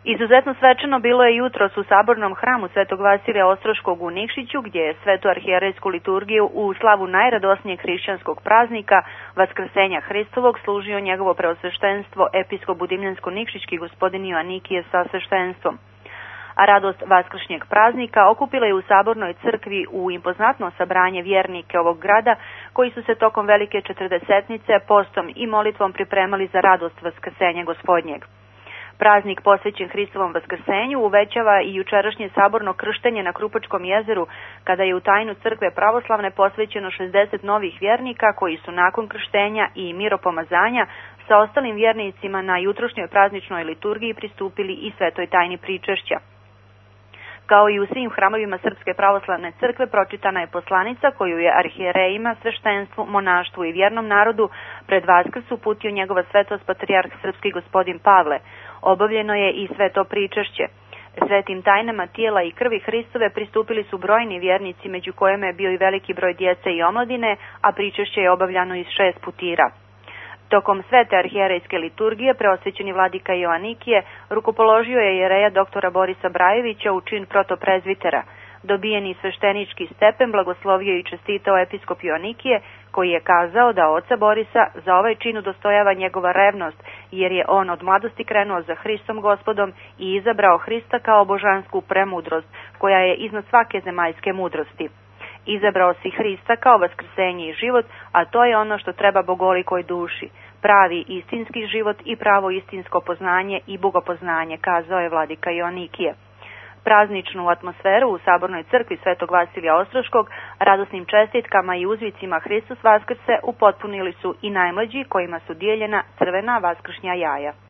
Izuzetno svečano bilo je jutros u Sabornom hramu Svetog Vasilija Ostroškog u Nikšiću, gdje je svetu arhijerejsku liturgiju u slavu najradosnijeg hrišćanskog praznika Vaskrsenja Hristovog služio njegovo preosveštenstvo episkop Budimljansko-Nikšićki gospodin Joanikije sa sveštenstvom. A radost vaskršnjeg praznika okupila je u Sabornoj crkvi u impoznatno sabranje vjernike ovog grada, koji su se tokom velike četrdesetnice postom i molitvom pripremali za radost Vaskrsenja Gospodnjeg. Praznik posvećen Hristovom Vaskrsenju uvećava i jučerašnje saborno krštenje na Krupačkom jezeru, kada je u tajnu crkve pravoslavne posvećeno 60 novih vjernika koji su nakon krštenja i miropomazanja sa ostalim vjernicima na jutrošnjoj prazničnoj liturgiji pristupili i svetoj tajni pričešća. Kao i u svim hramovima Srpske pravoslavne crkve pročitana je poslanica koju je arhijerejima, sveštenstvu, monaštvu i vjernom narodu pred Vaskrs uputio njegova svetost patrijarh srpski gospodin Pavle. Obavljeno je i sveto pričešće. Svetim tajnama tijela i krvi Hristove pristupili su brojni vjernici, među kojima je bio i veliki broj djece i omladine, a pričešće je obavljano iz 6 putira. Tokom svete arhijerejske liturgije preosvećeni vladika Joanikije rukopoložio je jereja doktora Borisa Brajevića u čin protoprezvitera. Dobijeni sveštenički stepen blagoslovio i čestitao episkop Joanikije, koji je kazao da oca Borisa za ovaj čin udostojava njegova revnost, jer je on od mladosti krenuo za Hristom Gospodom i izabrao Hrista kao božansku premudrost, koja je iznad svake zemaljske mudrosti. Izabrao si Hrista kao vaskrsenje i život, a to je ono što treba bogolikoj duši. Pravi istinski život i pravo istinsko poznanje i bogopoznanje, kazao je vladika Joanikije. Prazničnu atmosferu u Sabornoj crkvi Svetog Vasilija Ostroškog radosnim čestitkama i uzvicima Hristos Vaskrse upotpunili su i najmlađi, kojima su dijeljena crvena vaskršnja jaja.